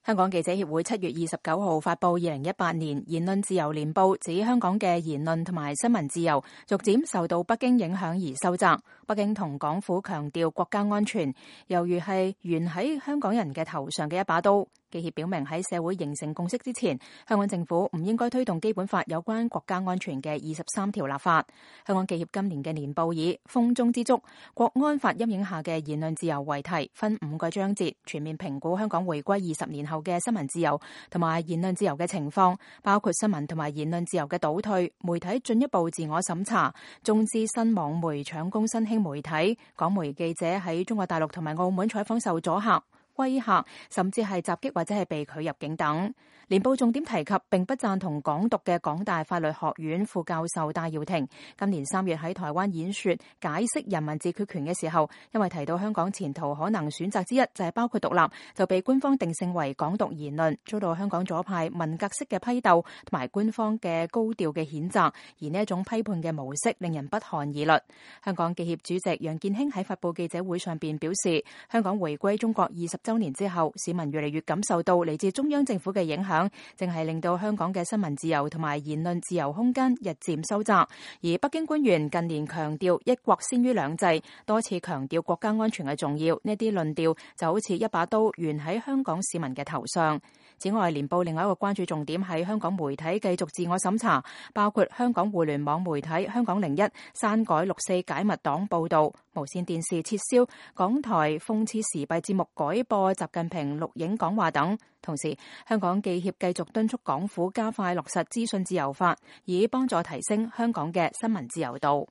香港記者協會7月29號發布2018年言論自由年報，指香港嘅言論同埋新聞自由逐漸受到北京影響而收窄。北京同港府強調國家安全，猶如係懸喺香港人嘅頭上嘅一把刀。記協表明喺社會形成共識之前，香港政府唔應該推動基本法有關國家安全嘅23條立法。香港記協今年嘅年報以風中之燭，國安法陰影下嘅言論自由為題，分5個章節，全面評估香港回歸20年後嘅新聞自由同埋言論自由嘅情況，包括新聞同埋言論自由嘅倒退、媒體進一步自我審查、中資新網媒搶攻新興媒體、港媒記者喺中國大陸同埋澳門採訪受阻嚇、威嚇，甚至係襲擊或者係被拒入境等。年報重點提及並不贊同港獨嘅港大法律學院副教授戴耀廷，今年3月喺台灣演說解釋人民自決權嘅時候，因為提到香港前途可能選擇之一就係包括獨立，就被官方定性為港獨言論，遭到香港左派文革式嘅批鬥同埋官方嘅高調嘅譴責，而呢一種批判嘅模式令人不寒而慄。香港記協主席楊健興喺發佈記者會上邊表示，香港回歸中國20週年之後，市民越嚟越感受到嚟自中央政府嘅影響，正係令到香港嘅新聞自由同埋言論自由空間日漸收窄。而北京官員近年強調一國先於兩制，多次強調國家安全嘅重要，呢啲論調就好似一把刀懸喺香港市民嘅頭上。此外，年報另外一個關注重點係香港媒體繼續自我審查，包括香港互聯網媒體香港01刪改6·4解密黨報導，無線電視撤銷港台諷刺時弊節目改播習近平錄影講話等。同時，香港記協繼續敦促港府加快落實資訊自由法，以幫助提升香港嘅新聞自由度。